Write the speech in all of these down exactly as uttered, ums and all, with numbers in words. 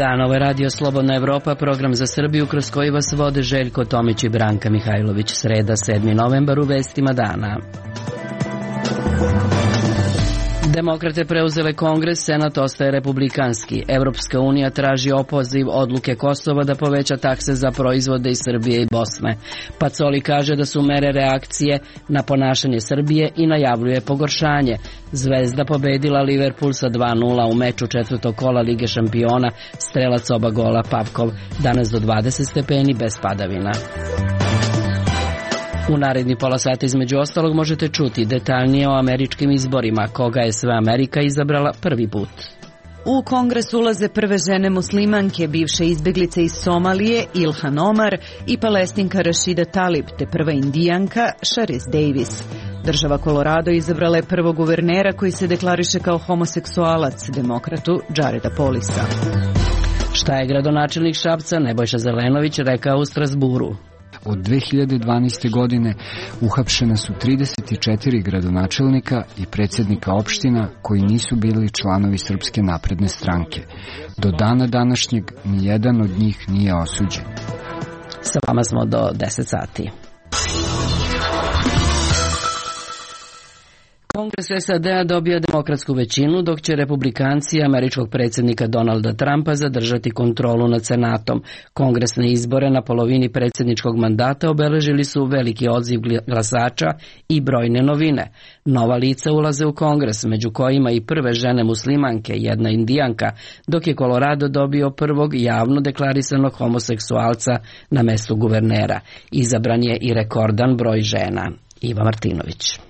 dan, ovo je Radio Slobodna Evropa, program za Srbiju kroz koji vas vode Željko Tomić i Branka Mihajlović. Sreda, sedmi novembar, u vestima dana. Demokrate preuzele Kongres, Senat ostaje republikanski. Evropska unija traži opoziv odluke Kosova da poveća takse za proizvode iz Srbije i Bosne. Pacoli kaže da su mere reakcije na ponašanje Srbije i najavljuje pogoršanje. Zvezda pobedila Liverpool sa dva nula u meču četvrtog kola Lige šampiona, strelac oba gola Pavkov, danas do dvadeset stepeni bez padavina. U naredni pola sata između ostalog možete čuti detaljnije o američkim izborima, koga je sve Amerika izabrala prvi put. U Kongres ulaze prve žene muslimanke, bivše izbeglice iz Somalije Ilhan Omar i Palestinka Rashida Talib, te prva indijanka Sharice Davis. Država Colorado izabrala je prvog guvernera koji se deklariše kao homoseksualac, demokratu Jareda Polisa. Šta je gradonačelnik Šapca Nebojša Zelenović rekao u Strasburu? Od dve hiljade dvanaeste. godine uhapšena su trideset četiri gradonačelnika i predsjednika opština koji nisu bili članovi Srpske napredne stranke. Do dana današnjeg nijedan od njih nije osuđen. Sa vama smo do deset sati. Kongres S A D-a dobio demokratsku većinu, dok će republikanci američkog predsjednika Donalda Trumpa zadržati kontrolu nad Senatom. Kongresne izbore na polovini predsjedničkog mandata obeležili su veliki odziv glasača i brojne novine. Nova lica ulaze u Kongres, među kojima i prve žene muslimanke, jedna indijanka, dok je Colorado dobio prvog javno deklarisanog homoseksualca na mestu guvernera. Izabran je i rekordan broj žena. Iva Martinović.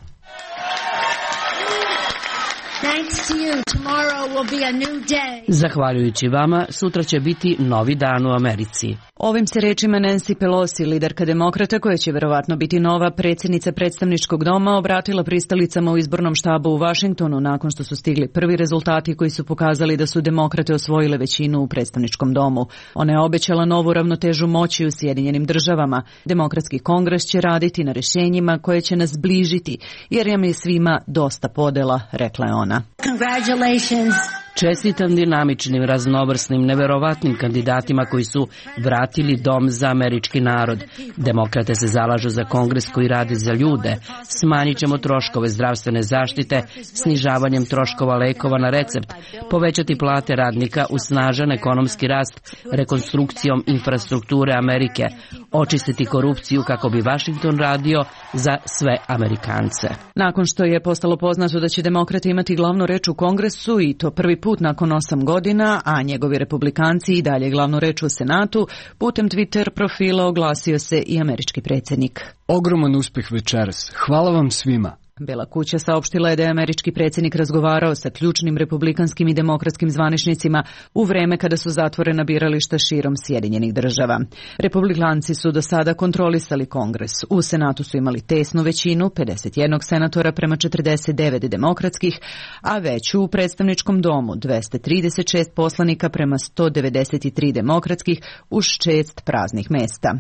Zahvaljujući vama, sutra će biti novi dan u Americi. Ovim se rečima Nancy Pelosi, liderka demokrata koja će verovatno biti nova predsjednica predstavničkog doma, obratila pristalicama u izbornom štabu u Vašingtonu nakon što su stigli prvi rezultati koji su pokazali da su demokrate osvojile većinu u predstavničkom domu. Ona je obećala novu ravnotežu moći u Sjedinjenim državama. Demokratski kongres će raditi na rješenjima koje će nas bližiti, jer nam je svima dosta podela, rekla je ona. Congratulations. Čestitam dinamičnim, raznovrsnim, neverovatnim kandidatima koji su vratili dom za američki narod. Demokrate se zalažu za kongres koji radi za ljude. Smanjit ćemo troškove zdravstvene zaštite snižavanjem troškova lekova na recept, povećati plate radnika uz snažan ekonomski rast rekonstrukcijom infrastrukture Amerike, očistiti korupciju kako bi Vašington radio za sve Amerikance. Nakon što je postalo poznato da će demokrati imati glavnu reč u kongresu i to prvi put nakon osam godina, a njegovi republikanci i dalje glavnu reč u Senatu, putem Twitter profila oglasio se i američki predsjednik. Ogroman uspjeh večeras. Hvala vam svima. Bela kuća saopštila je da je američki predsjednik razgovarao sa ključnim republikanskim i demokratskim zvaničnicima u vreme kada su zatvorena birališta širom Sjedinjenih država. Republikanci su do sada kontrolisali kongres. U Senatu su imali tesnu većinu, pedeset jedan senatora prema četrdeset devet demokratskih, a veću u predstavničkom domu, dvesta trideset šest poslanika prema sto devedeset tri demokratskih, uz šest praznih mesta.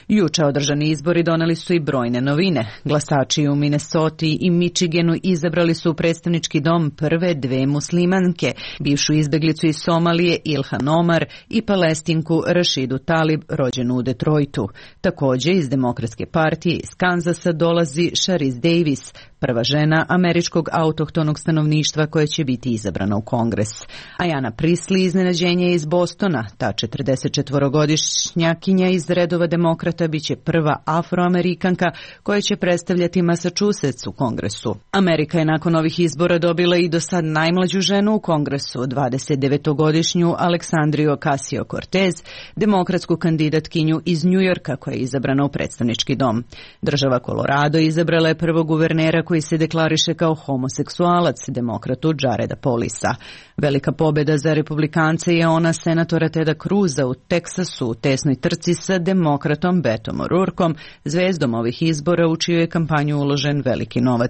Juče održani izbori doneli su i brojne novine. Glasači u Minnesoti i Michiganu izabrali su u predstavnički dom prve dve muslimanke, bivšu izbeglicu iz Somalije Ilhan Omar i Palestinku Rashidu Talib, rođenu u Detroitu. Također iz Demokratske partije iz Kanzasa dolazi Sharice Davis, prva žena američkog autohtonog stanovništva koja će biti izabrana u kongres. Ayanna Pressley iznenađenje iz Bostona, ta četrdesetčetvorogodišnjakinja iz redova demokrata biće prva afroamerikanka koja će predstavljati Massachusetts u kongresu. Amerika je nakon ovih izbora dobila i do sad najmlađu ženu u kongresu, dvadesetdevetogodišnju Aleksandriju Ocasio-Cortez, demokratsku kandidatkinju iz Njujorka koja je izabrana u predstavnički dom. Država Colorado izabrala je prvog guvernera koji se deklariše kao homoseksualac, demokratu Jareda Polisa. Velika pobjeda za republikance je ona senatora Teda Cruza u Teksasu u tesnoj trci sa demokratom Betom O'Rourkom, zvezdom ovih izbora u čiju je kampanju uložen veliki novac.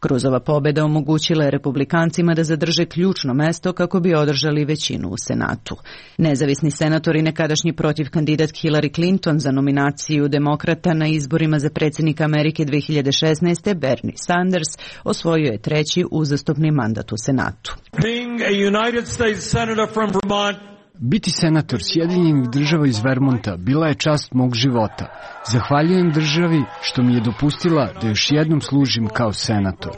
Cruzova pobjeda omogućila je republikancima da zadrže ključno mesto kako bi održali većinu u Senatu. Nezavisni senator i nekadašnji protivkandidat Hillary Clinton za nominaciju demokrata na izborima za predsjednika Amerike dve hiljade šesnaeste. Bernie Sanders osvojio je treći uzastopni mandat u Senatu. Being a United States Senator from Vermont, Biti senator Sjedinjenih država iz Vermonta bila je čast mog života. Zahvaljujem državi što mi je dopustila da još jednom služim kao senator.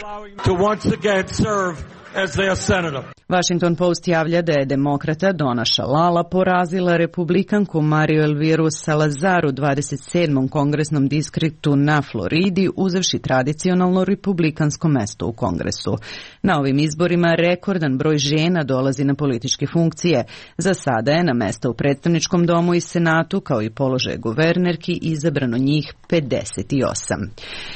Washington Post javlja da je demokrata Donna Shalala porazila republikanku Mariju Elviru Salazar u dvadeset sedmom kongresnom distriktu na Floridi, uzevši tradicionalno republikansko mesto u kongresu. Na ovim izborima rekordan broj žena dolazi na političke funkcije. Za sada je na mesta u predstavničkom domu i senatu, kao i položaje guvernerki, izabrano njih pedeset osam.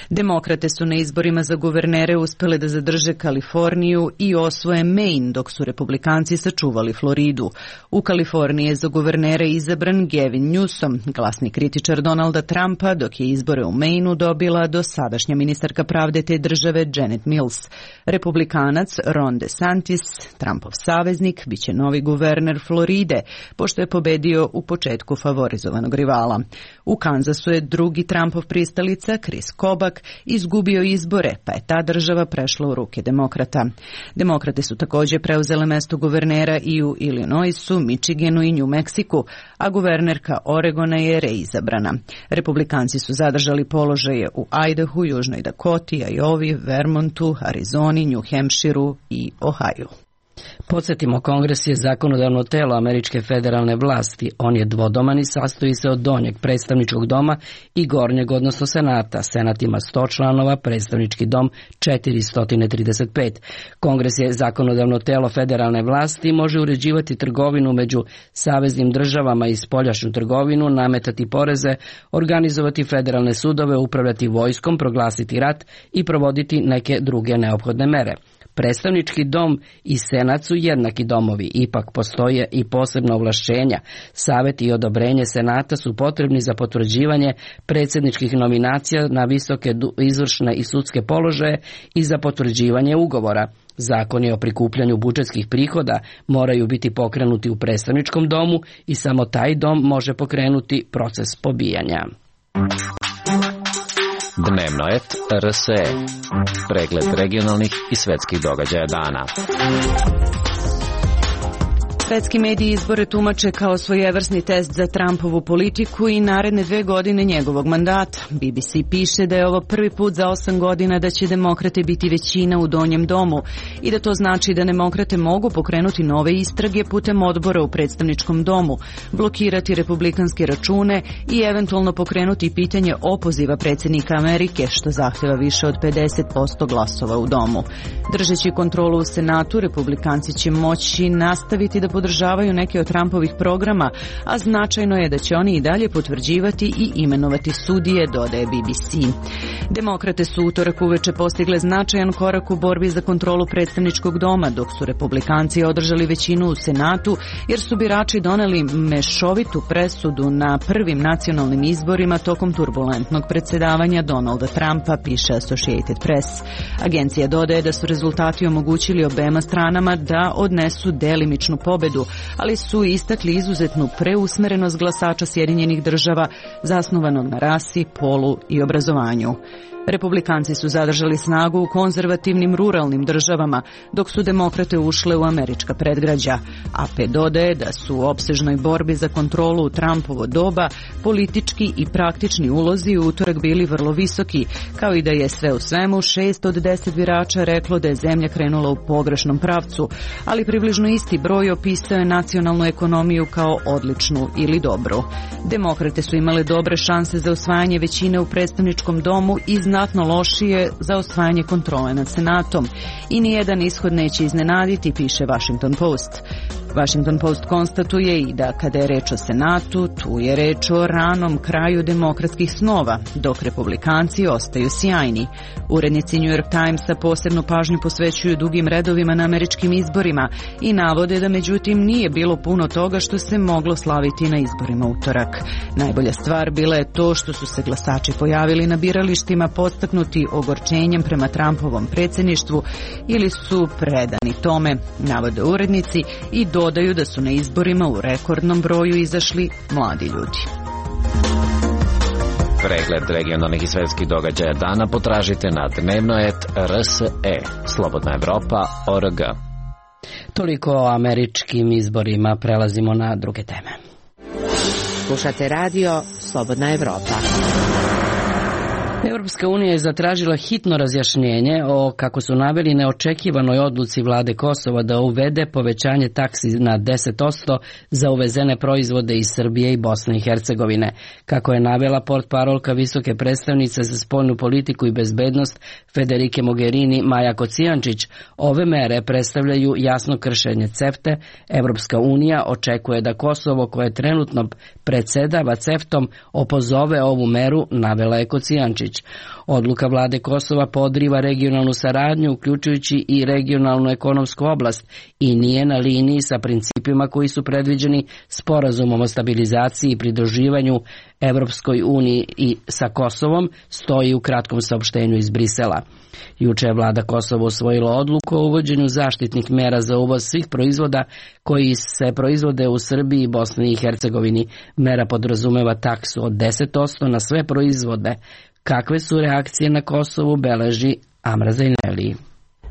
Demokrate su na izborima za guvernere uspele da zadrže Kaliforniju i osvoje Maine, dok su republikanci sačuvali Floridu. U Kaliforniji je za guvernere izabran Gavin Newsom, glasni kritičar Donalda Trumpa, dok je izbore u Maineu dobila dosadašnja ministarka pravde te države Janet Mills. Republikanac Ron DeSantis, Trumpov saveznik, biće novi guverner Floride, pošto je pobedio u početku favorizovanog rivala. U Kanzasu je drugi Trumpov pristalica, Chris Kobach, izgubio izbore, pa je ta država prešla u ruke demokrata. Demokrate su također preuzele mesto guvernera i u Illinoisu, Michiganu i New Mexiku, a guvernerka Oregona je reizabrana. Republikanci su zadržali položaje u Idahu, Južnoj Dakoti, Iowi, Vermontu, Arizoni, New Hampshireu i Ohio. Podsjetimo, Kongres je zakonodavno telo američke federalne vlasti. On je dvodoman i sastoji se od donjeg predstavničkog doma i gornjeg, odnosno senata. Senat ima sto članova, predstavnički dom četiristo trideset pet. Kongres je zakonodavno telo federalne vlasti i može uređivati trgovinu među saveznim državama i spoljašnju trgovinu, nametati poreze, organizovati federalne sudove, upravljati vojskom, proglasiti rat i provoditi neke druge neophodne mere. Predstavnički dom i senat su jednaki domovi, ipak postoje i posebna ovlašćenja. Savet i odobrenje senata su potrebni za potvrđivanje predsjedničkih nominacija na visoke izvršne i sudske položaje i za potvrđivanje ugovora. Zakoni o prikupljanju budžetskih prihoda moraju biti pokrenuti u predstavničkom domu i samo taj dom može pokrenuti proces pobijanja. Dnevnoet R S E. Pregled regionalnih i svetskih događaja dana. Svetski mediji izbore tumače kao svojevrsni test za Trumpovu politiku i naredne dve godine njegovog mandata. B B C piše da je ovo prvi put za osam godina da će demokrate biti većina u donjem domu i da to znači da demokrate mogu pokrenuti nove istrage putem odbora u predstavničkom domu, blokirati republikanske račune i eventualno pokrenuti pitanje opoziva predsjednika Amerike, što zahtjeva više od pedeset posto glasova u domu. Držeći kontrolu u senatu, republikanci će moći nastaviti da podržavaju neke od Trumpovih programa, a značajno je da će oni i dalje potvrđivati i imenovati sudije, dodaje B B C. Demokrate su utorak uveče postigle značajan korak u borbi za kontrolu predstavničkog doma, dok su republikanci održali većinu u senatu, jer su birači doneli mešovitu presudu na prvim nacionalnim izborima tokom turbulentnog predsjedavanja Donalda Trumpa, piše Associated Press. Agencija dodaje da su rezultati omogućili obema stranama da odnesu delimičnu pobedu, ali su istakli izuzetnu preusmerenost glasača Sjedinjenih država zasnovanog na rasi, polu i obrazovanju. Republikanci su zadržali snagu u konzervativnim ruralnim državama, dok su demokrate ušle u američka predgrađa. A P dodaje da su u opsežnoj borbi za kontrolu u Trumpovo doba politički i praktični ulozi u utorak bili vrlo visoki, kao i da je sve u svemu šest od deset birača reklo da je zemlja krenula u pogrešnom pravcu, ali približno isti broj opisao je nacionalnu ekonomiju kao odličnu ili dobru. Demokrate su imale dobre šanse za osvajanje većine u predstavničkom domu i znatno lošije za osvajanje kontrole nad senatom. I nijedan ishod neće iznenaditi, piše Washington Post. Washington Post konstatuje i da kada je reč o senatu, tu je reč o ranom kraju demokratskih snova, dok republikanci ostaju sjajni. Urednici New York Timesa posebnu pažnju posvećuju dugim redovima na američkim izborima i navode da međutim nije bilo puno toga što se moglo slaviti na izborima utorak. Najbolja stvar bila je to što su se glasači pojavili na biralištima podstaknuti ogorčenjem prema Trumpovom predsjedništvu ili su predani tome, navode urednici, i dodaju da su na izborima u rekordnom broju izašli mladi ljudi. Pregled regionalnih i svetskih događaja dana potražite na dnevnoet R S E. Slobodna Evropa, O R G. Toliko o američkim izborima, prelazimo na druge teme. Slušate radio Slobodna Evropa. Evropska unija je zatražila hitno razjašnjenje o, kako su naveli, neočekivanoj odluci vlade Kosova da uvede povećanje taksi na deset posto za uvezene proizvode iz Srbije i Bosne i Hercegovine. Kako je navela portparolka visoke predstavnice za spoljnu politiku i bezbednost Federike Mogherini Maja Kocijančić, ove mere predstavljaju jasno kršenje CEFTE. Evropska unija očekuje da Kosovo, koje trenutno predsedava CEFTom, opozove ovu meru, navela je Kocijančić. Odluka vlade Kosova podriva regionalnu saradnju, uključujući i regionalnu ekonomsku oblast, i nije na liniji sa principima koji su predviđeni sporazumom o stabilizaciji i pridruživanju Evropskoj uniji i sa Kosovom, stoji u kratkom saopštenju iz Brisela. Juče je vlada Kosova usvojila odluku o uvođenju zaštitnih mera za uvoz svih proizvoda koji se proizvode u Srbiji i Bosni i Hercegovini. Mera podrazumeva taksu od deset posto na sve proizvode. Kakve su reakcije na Kosovu, beleži Amra Zajneli.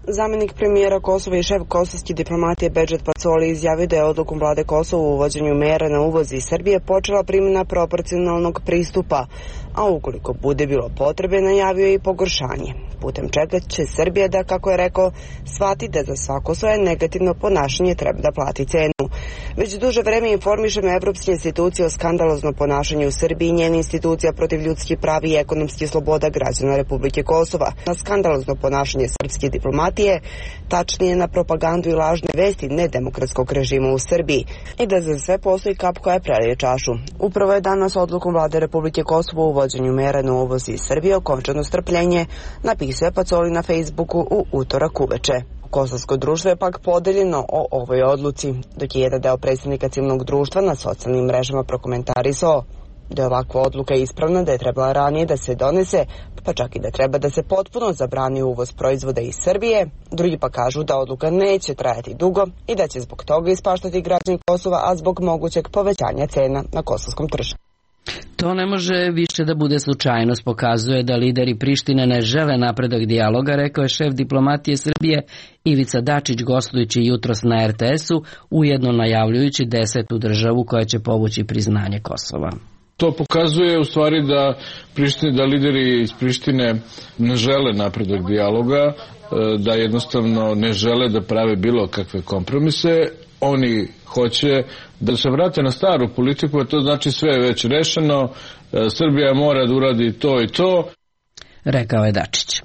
Zamenik premijera Kosova i šef kosovske diplomatije Bedžet Pacoli izjavio da je odlukom vlade Kosova u uvođenju mera na uvoz iz Srbije počela primjena proporcionalnog pristupa, a ukoliko bude bilo potrebe, najavio je i pogoršanje. Putem čega će Srbija da, kako je rekao, shvati da za svako svoje negativno ponašanje treba da plati cenu. Već duže vreme informišemo evropske institucije o skandaloznom ponašanju u Srbiji i njene institucija protiv ljudskih prava i ekonomskih sloboda građana Republike Kosova. Na skandalozno ponašanje srpske diplomatije, tačnije na propagandu i lažne vesti nedemokratskog režima u Srbiji, i da za sve postoji kap koja prelije čašu. Upravo je danas odlukom vlade Republike Kosova u uvođenju mera na uvoz iz Srbije okončano strpljenje, napisao je Pacoli na Facebooku u utorak uveče. Kosovsko društvo je pak podeljeno o ovoj odluci, dok je jedan deo predstavnika civilnog društva na socijalnim mrežama prokomentarisao da je ovakva odluka ispravna, da je trebala ranije da se donese, pa čak i da treba da se potpuno zabrani uvoz proizvoda iz Srbije. Drugi pa kažu da odluka neće trajati dugo i da će zbog toga ispaštati građani Kosova, a zbog mogućeg povećanja cena na kosovskom tržištu. To ne može više da bude slučajnost, pokazuje da lideri Prištine ne žele napredak dijaloga, rekao je šef diplomatije Srbije Ivica Dačić gostujući jutros na er te esu, ujedno najavljujući desetu državu koja će povući priznanje Kosova. To pokazuje u stvari da, Prištine, da lideri iz Prištine ne žele napredak dijaloga, da jednostavno ne žele da prave bilo kakve kompromise. Oni hoće da se vrate na staru politiku, a to znači sve je već rešeno, Srbija mora da uradi to i to, rekao je Dačić.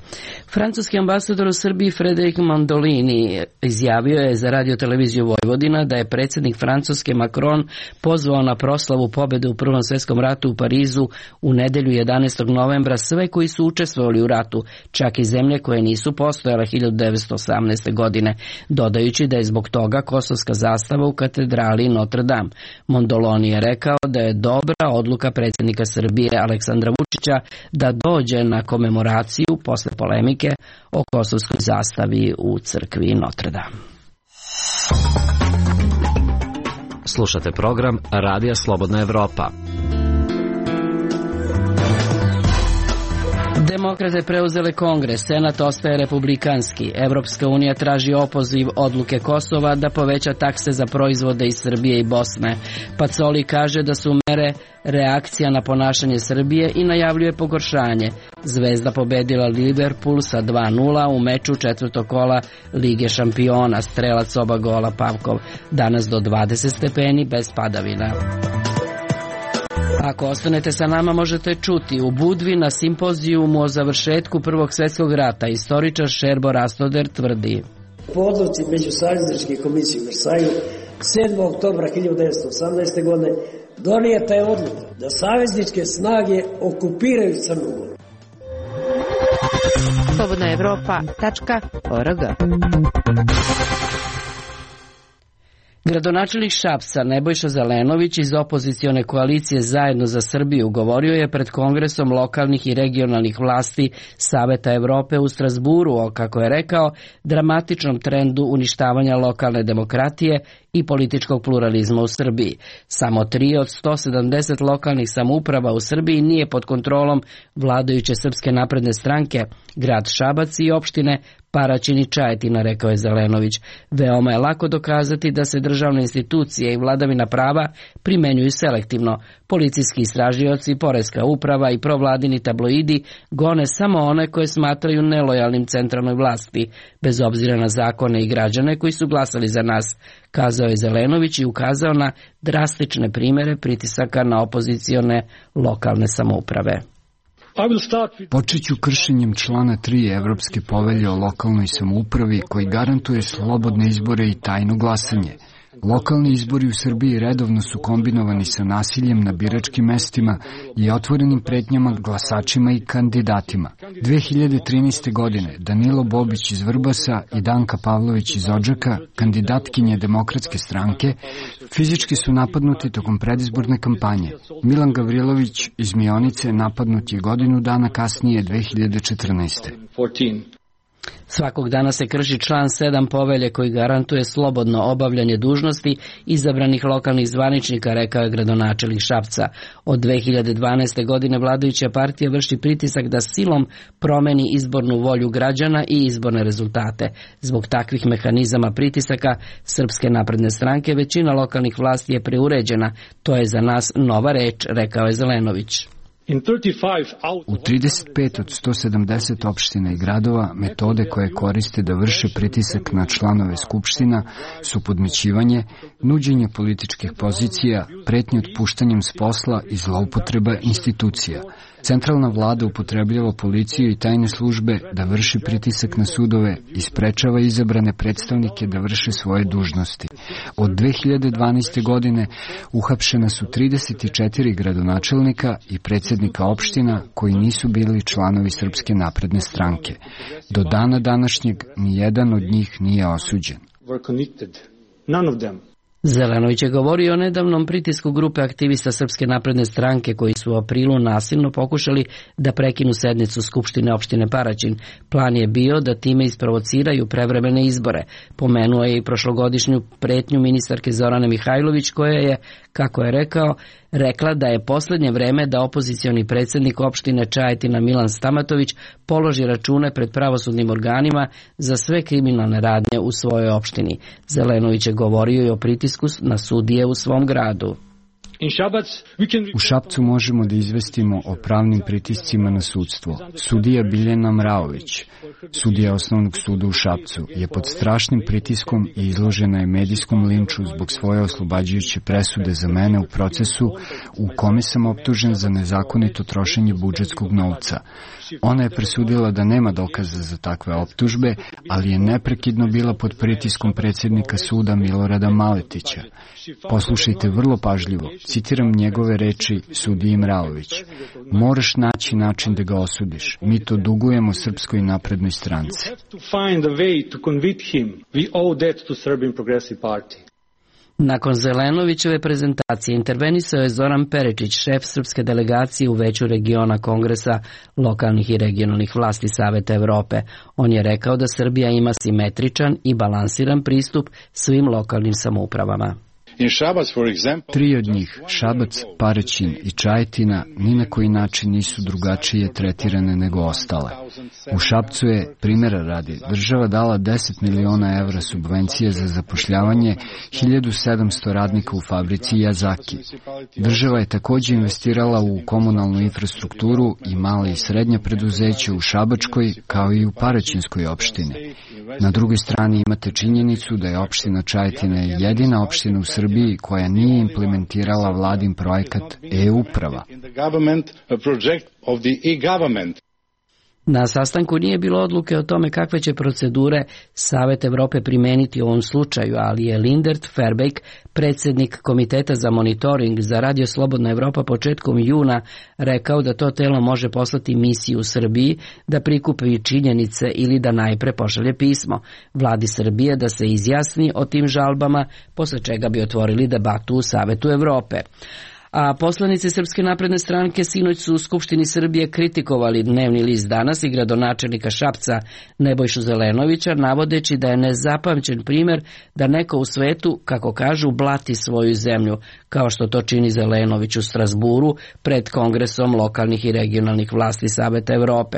Francuski ambasador u Srbiji Frédéric Mandolini izjavio je za radioteleviziju Vojvodina da je predsjednik Francuske Macron pozvao na proslavu pobjede u Prvom svjetskom ratu u Parizu u nedelju jedanaestog novembra sve koji su učestvovali u ratu, čak i zemlje koje nisu postojale hiljadu devetsto osamnaeste. godine, dodajući da je zbog toga kosovska zastava u katedrali Notre Dame. Mondolini je rekao da je dobra odluka predsjednika Srbije Aleksandra Vučića da dođe na komemoraciju posle polemike o kosovskoj zastavi u crkvi Notre Dame. Slušate program Radija Slobodna Evropa. Demokrate preuzele Kongres, Senat ostaje republikanski. Evropska unija traži opoziv odluke Kosova da poveća takse za proizvode iz Srbije i Bosne. Pacoli kaže da su mere reakcija na ponašanje Srbije i najavljuje pogoršanje. Zvezda pobedila Liverpool sa dva nula u meču četvrtog kola Lige šampiona. Strelac oba gola Pavkov. Danas do dvadeset stepeni bez padavina. Ako ostanete sa nama, možete čuti u Budvi na simpozijumu o završetku Prvog svjetskog rata. Istoričar Šerbo Rastoder tvrdi: po odluci Međusavezničke komisije u Versaju sedmog oktobra hiljadu devetsto osamnaeste. godine donijeta je odluka da savezničke snage okupiraju Crnu Goru. slobodna evropa tačka org. Gradonačelnik Šapca Nebojša Zelenović iz opozicione koalicije Zajedno za Srbiju govorio je pred Kongresom lokalnih i regionalnih vlasti Saveta Evrope u Strasburu o, kako je rekao, dramatičnom trendu uništavanja lokalne demokratije i političkog pluralizma u Srbiji. Samo tri od sto sedamdeset lokalnih samouprava u Srbiji nije pod kontrolom vladajuće Srpske napredne stranke. Grad Šabac i opštine Paraćin i Čajetina, rekao je Zelenović. Veoma je lako dokazati da se državne institucije i vladavina prava primenjuju selektivno. Policijski istražioci, poreska uprava i provladini tabloidi gone samo one koje smatraju nelojalnim centralnoj vlasti, bez obzira na zakone i građane koji su glasali za nas, kazao je Zelenović i ukazao na drastične primere pritisaka na opozicione lokalne samouprave. Počet ću kršenjem člana tri Evropske povelje o lokalnoj samoupravi koji garantuje slobodne izbore i tajno glasanje. Lokalni izbori u Srbiji redovno su kombinovani sa nasiljem na biračkim mestima i otvorenim pretnjama glasačima i kandidatima. dve hiljade trinaeste. godine Danilo Bobić iz Vrbasa i Danka Pavlović iz Odžaka, kandidatkinje Demokratske stranke, fizički su napadnuti tokom predizborne kampanje. Milan Gavrilović iz Mionice napadnut je godinu dana kasnije dve hiljade četrnaeste. Svakog dana se krši član sedam povelje koji garantuje slobodno obavljanje dužnosti izabranih lokalnih zvaničnika, rekao je gradonačelnik Šapca. Od dve hiljade dvanaeste. godine vladajuća partija vrši pritisak da silom promeni izbornu volju građana i izborne rezultate. Zbog takvih mehanizama pritisaka Srpske napredne stranke većina lokalnih vlasti je preuređena. To je za nas nova reč, rekao je Zelenović. U trideset pet od sto sedamdeset opština i gradova metode koje koriste da vrše pritisak na članove skupština su podmećivanje, nuđenje političkih pozicija, pretnje otpuštanjem s posla i zloupotreba institucija. Centralna vlada upotrebljava policiju i tajne službe da vrši pritisak na sudove i sprečava izabrane predstavnike da vrše svoje dužnosti. Od dve hiljade dvanaeste. godine uhapšena su trideset četiri gradonačelnika i predsjednika opština koji nisu bili članovi Srpske napredne stranke. Do dana današnjeg nijedan od njih nije osuđen. Zelenović je govorio o nedavnom pritisku grupe aktivista Srpske napredne stranke koji su u aprilu nasilno pokušali da prekinu sednicu Skupštine opštine Paraćin. Plan je bio da time isprovociraju prevremene izbore. Pomenuo je i prošlogodišnju pretnju ministarke Zorane Mihajlović koja je, kako je rekao, rekla da je posljednje vreme da opozicioni predsjednik opštine Čajetina Milan Stamatović položi račune pred pravosudnim organima za sve kriminalne radnje u svojoj opštini. Zelenović je govorio i o pritisku na sudije u svom gradu. U Šapcu možemo da izvestimo o pravnim pritiscima na sudstvo. Sudija Biljana Mraović, sudija Osnovnog suda u Šapcu, je pod strašnim pritiskom i izložena je medijskom linču zbog svoje oslobađajuće presude za mene u procesu u kome sam optužen za nezakonito trošenje budžetskog novca. Ona je presudila da nema dokaza za takve optužbe, ali je neprekidno bila pod pritiskom predsjednika suda Milorada Maletića. Poslušajte vrlo pažljivo, citiram njegove reči sudiji Mraović. Moraš naći način da ga osudiš. Mi to dugujemo Srpskoj naprednoj stranci. Nakon Zelenovićeve prezentacije intervenisao je Zoran Peričić, šef srpske delegacije u Veću regiona Kongresa lokalnih i regionalnih vlasti Saveta Evrope. On je rekao da Srbija ima simetričan i balansiran pristup svim lokalnim samoupravama. Tri od njih, Šabac, Paraćin i Čajetina, ni na koji način nisu drugačije tretirane nego ostale. U Šapcu je, primjera radi, država dala deset miliona evra subvencije za zapošljavanje hiljadu sedamsto radnika u fabrici Yazaki. Država je također investirala u komunalnu infrastrukturu i male i srednje preduzeće u Šabačkoj kao i u Paraćinskoj opštini. Na drugoj strani imate činjenicu da je opština Čajetina jedina opština u Srbiji koja nije implementirala vladin projekat e-uprava. Na sastanku nije bilo odluke o tome kakve će procedure Savet Evrope primeniti u ovom slučaju, ali je Lindert Verbeek, predsjednik Komiteta za monitoring za Radio Slobodna Evropa početkom juna, rekao da to telo može poslati misiju u Srbiji da prikupi činjenice ili da najpre pošalje pismo vladi Srbije da se izjasni o tim žalbama, posle čega bi otvorili debatu u Savetu Evrope. A poslanici Srpske napredne stranke sinoć su u Skupštini Srbije kritikovali dnevni list Danas i gradonačelnika Šapca Nebojšu Zelenovića, navodeći da je nezapamćen primer da neko u svetu, kako kažu, blati svoju zemlju, kao što to čini Zelenović u Strasburu pred Kongresom lokalnih i regionalnih vlasti Saveta Evrope.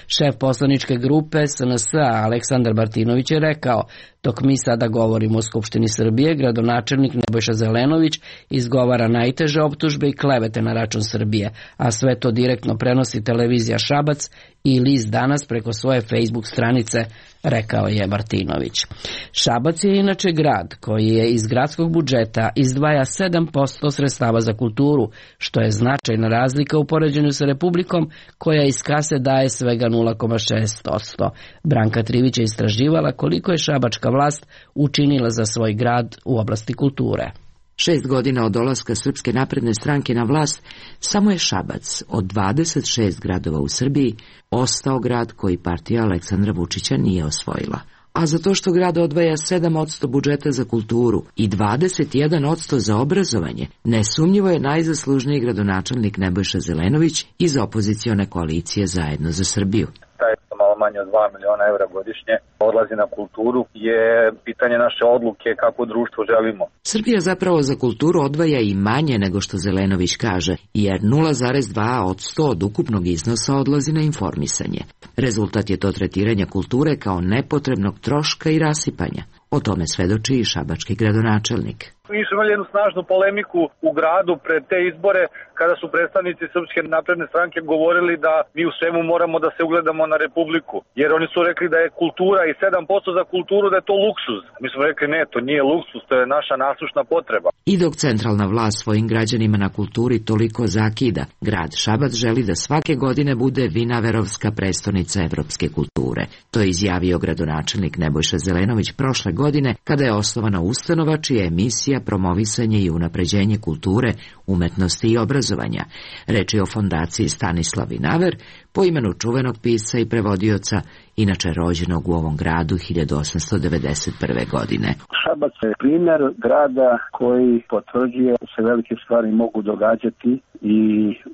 Šef poslaničke grupe S N S-a Aleksandar Martinović je rekao: dok mi sada govorimo o Skupštini Srbije, gradonačelnik Nebojša Zelenović izgovara najteže optužbe i klevete na račun Srbije, a sve to direktno prenosi televizija Šabac i list Danas preko svoje Facebook stranice, rekao je Martinović. Šabac je inače grad koji je iz gradskog budžeta izdvaja sedam posto sredstava za kulturu, što je značajna razlika u poređenju sa Republikom koja iz kase daje svega nula zarez šest posto. Branka Trivić je istraživala koliko je šabačka vlast učinila za svoj grad u oblasti kulture. Šest godina od dolaska Srpske napredne stranke na vlast, samo je Šabac od dvadeset šest gradova u Srbiji ostao grad koji partija Aleksandra Vučića nije osvojila. A zato što grad odvaja sedam posto budžeta za kulturu i dvadeset jedan posto za obrazovanje, nesumnjivo je najzaslužniji gradonačelnik Nebojša Zelenović iz opozicione koalicije Zajedno za Srbiju. Taj malo manje od dva miliona evra godišnje odlazi na kulturu je pitanje naše odluke kako društvo želimo. Srbija zapravo za kulturu odvaja i manje nego što Zelenović kaže, jer nula zarez dva posto od ukupnog iznosa odlazi na informisanje. Rezultat je to tretiranja kulture kao nepotrebnog troška i rasipanja. O tome svedoči i šabački gradonačelnik. Mi smo imali jednu snažnu polemiku u gradu pred te izbore kada su predstavnici Srpske napredne stranke govorili da mi u svemu moramo da se ugledamo na Republiku. Jer oni su rekli da je kultura i sedam posto za kulturu da je to luksuz. Mi smo rekli ne, to nije luksuz, to je naša nasušna potreba. I dok centralna vlast svojim građanima na kulturi toliko zakida, grad Šabac želi da svake godine bude Vinaverovska prestonica evropske kulture. To je izjavio gradonačelnik Nebojša Zelenović prošle godine kada je osnovana ustanova čija je misija promovisanje i unapređenje kulture, umetnosti i obrazovanja. Reč je o fondaciji Stanislav Vinaver, po imenu čuvenog pisca i prevodioca, inače rođenog u ovom gradu hiljadu osamsto devedeset prve. godine. Šabac je primjer grada koji potvrđuje da se velike stvari mogu događati i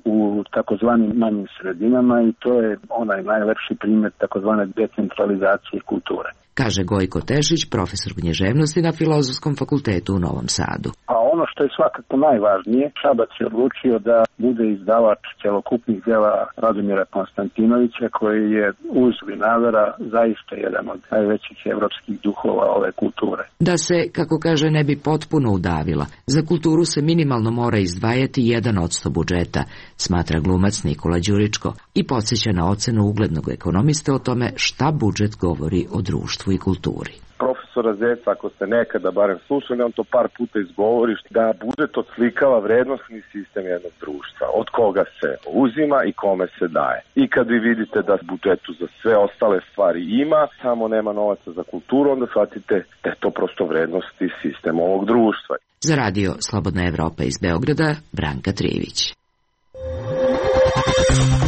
u takozvanim manjim sredinama i to je onaj najlepši primjer takozvane decentralizacije kulture. Kaže Gojko Tešić, profesor književnosti na Filozofskom fakultetu u Novom Sadu. A ono što je svakako najvažnije, Šabac je odlučio da bude izdavač celokupnih dela Radomira Konstantinovića, koji je uz Vinavera zaista jedan od najvećih evropskih duhova ove kulture. Da se, kako kaže, ne bi potpuno udavila, za kulturu se minimalno mora izdvajati jedan posto budžeta, smatra glumac Nikola Đuričko i podsjeća na ocenu uglednog ekonomiste o tome šta budžet govori o društvu i kulturi. Profesora Zeca, ako ste nekada barem slušali, on to par puta izgovori, da budžet odslikava vrednosni sistem jednog društva, od koga se uzima i kome se daje. I kad vi vidite da budžetu za sve ostale stvari ima, samo nema novaca za kulturu, onda shvatite da je to prosto vrednosti sistem ovog društva. Za radio Slobodna Evropa iz Beograda, Branka Trivić.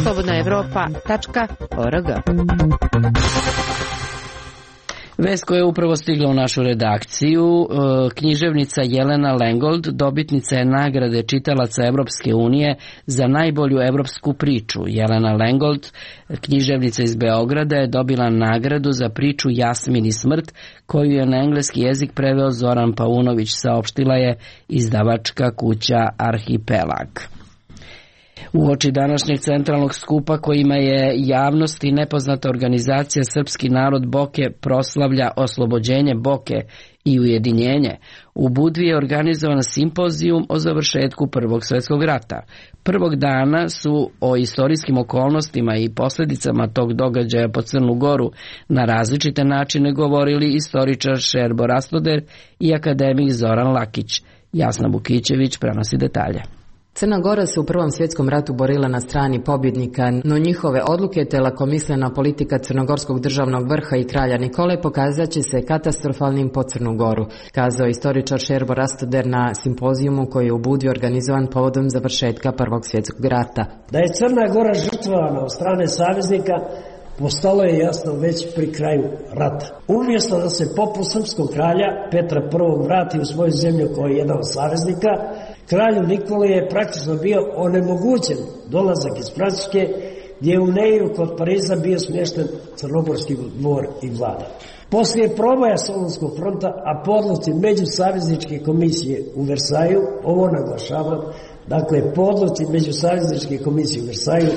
slobodna evropa tačka org. Vest koja je upravo stigla u našu redakciju, književnica Jelena Lengold dobitnica je nagrade čitalaca Evropske unije za najbolju evropsku priču. Jelena Lengold, književnica iz Beograda, je dobila nagradu za priču Jasmin i smrt, koju je na engleski jezik preveo Zoran Paunović, saopštila je izdavačka kuća Arhipelag. Uoči današnjeg centralnog skupa kojima je javnost i nepoznata organizacija Srpski narod Boke proslavlja oslobođenje Boke i ujedinjenje, u Budvi je organizovan simpozijum o završetku Prvog svjetskog rata. Prvog dana su o istorijskim okolnostima i posljedicama tog događaja po Crnu Goru na različite načine govorili istoričar Šerbo Rastoder i akademik Zoran Lakić. Jasna Bukićević prenosi detalje. Crna Gora se u Prvom svjetskom ratu borila na strani pobjednika, no njihove odluke te lakomislena politika crnogorskog državnog vrha i kralja Nikole pokazat će se katastrofalnim po Crnu Goru, kazao istoričar Šerbo Rastoder na simpozijumu koji je u Budvi organizovan povodom završetka Prvog svjetskog rata. Da je Crna Gora žrtvovana od strane saveznika postalo je jasno već pri kraju rata. Umjesto da se poput srpskog kralja Petra Prvog vrati u svoju zemlju kao jedan od saveznika, kralju Nikoli je praktično bio onemogućen dolazak iz Francuske, gdje je u Neiru kod Pariza bio smješten crnogorski dvor i vlada. Poslije proboja Solunskog fronta, a po odluci Međusavezničke komisije u Versaju, ovo naglašavam, dakle po odluci Međusavezničke komisije u Versaju,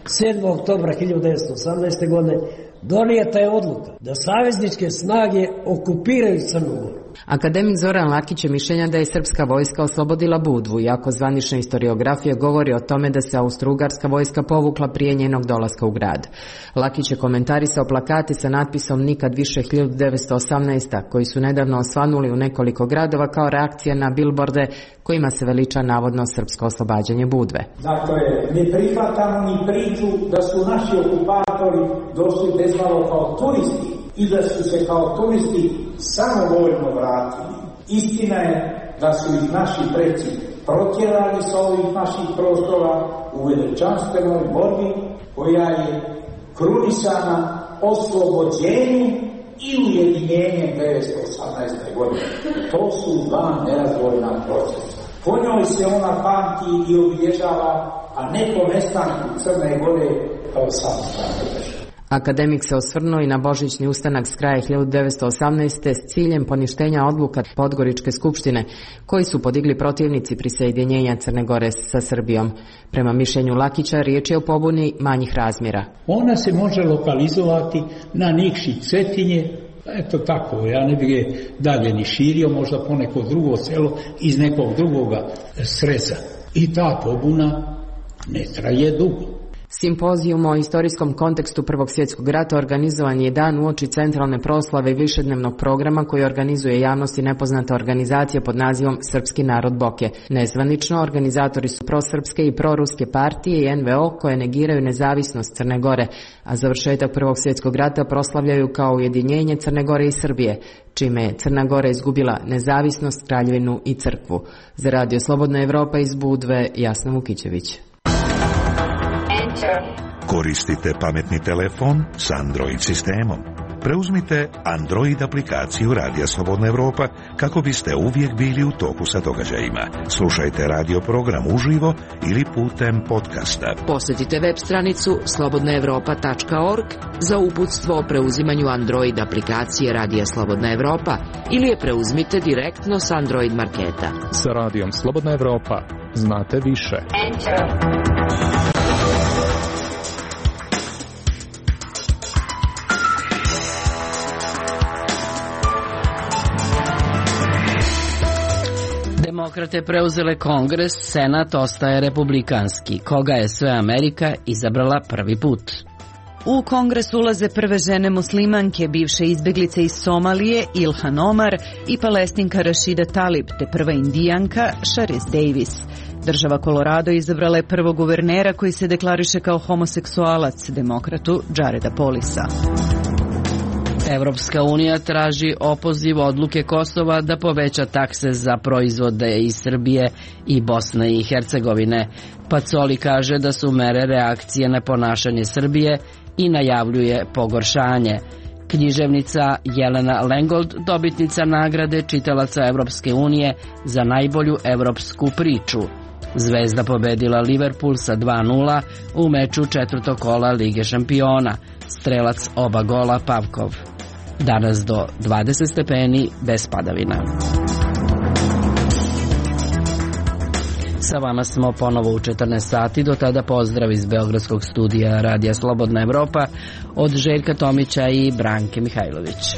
sedmog oktobra hiljadu devetsto osamnaeste. godine, donijeta je odluka da savezničke snage okupiraju Crnu Goru. Akademik Zoran Lakić je mišljenja da je srpska vojska oslobodila Budvu, iako zvanična historiografija govori o tome da se austrougarska vojska povukla prije njenog dolaska u grad. Lakić je komentarisao plakate sa natpisom "Nikad više hiljadu devetsto osamnaeste. koji su nedavno osvanuli u nekoliko gradova kao reakcija na bilborde kojima se veliča navodno srpsko oslobađanje Budve. Dakle, ne prihvatamo ni priču da su naši okupatori došli bezmalo kao turisti i da su se kao turisti samovoljno vratili. Istina je da su ih naši preci protjerali sa ovih naših prostora u veličanstvenoj borbi koja je krunisana oslobođenjem i ujedinjenjem devetsto osamnaeste. godine. To su dva nerazdvojna procesa. Po njoj se ona pamti i obilježava, a ne po nestanku Crne Gore kao samostalne države. Akademik se osvrnuo i na božićni ustanak s kraja hiljadu devetsto osamnaeste. s ciljem poništenja odluka Podgoričke skupštine, koji su podigli protivnici prisjedinjenja Crne Gore sa Srbijom. Prema mišljenju Lakića, riječ je o pobuni manjih razmjera. Ona se može lokalizovati na Nikši Cetinje, eto tako, ja ne bih je dalje ni širio, možda po neko drugo selo iz nekog drugoga sreza. I ta pobuna ne traje dugo. Simpozijum o istorijskom kontekstu Prvog svjetskog rata organizovan je dan uoči centralne proslave i višednevnog programa koji organizuje javnosti nepoznata organizacija pod nazivom Srpski narod Boke. Nezvanično, organizatori su prosrpske i proruske partije i en ve o koje negiraju nezavisnost Crne Gore, a završetak Prvog svjetskog rata proslavljaju kao ujedinjenje Crne Gore i Srbije, čime je Crna Gora izgubila nezavisnost, kraljevinu i crkvu. Za Radio Slobodna Evropa iz Budve, Jasna Vukićević. Koristite pametni telefon s Android sistemom. Preuzmite Android aplikaciju Radija Slobodna Evropa kako biste uvijek bili u toku sa događajima. Slušajte radio program uživo ili putem podcasta. Posjetite web stranicu slobodna evropa tačka org za uputstvo o preuzimanju Android aplikacije Radija Slobodna Evropa ili je preuzmite direktno s Android marketa. Sa Radijom Slobodna Evropa znate više. Enter. Demokrate preuzele Kongres, Senat ostaje republikanski. Koga je sve Amerika izabrala prvi put? U Kongres ulaze prve žene muslimanke, bivše izbjeglice iz Somalije, Ilhan Omar i Palestinka Rashida Talib, te prva indijanka Sharice Davis. Država Colorado izabrala je prvog guvernera koji se deklariše kao homoseksualac, demokratu Jareda Polisa. Evropska unija traži opoziv odluke Kosova da poveća takse za proizvode iz Srbije i Bosne i Hercegovine. Pacoli kaže da su mere reakcije na ponašanje Srbije i najavljuje pogoršanje. Književnica Jelena Lengold, dobitnica nagrade čitalaca Evropske unije za najbolju evropsku priču. Zvezda pobedila Liverpool sa dva nula u meču četvrtog kola Lige šampiona. Strelac oba gola Pavkov. Danas do dvadeset stepeni bez padavina. Sa vama smo ponovo u četrnaest sati, do tada pozdrav iz Beogradskog studija Radija Slobodna Evropa od Željka Tomića i Branke Mihajlović.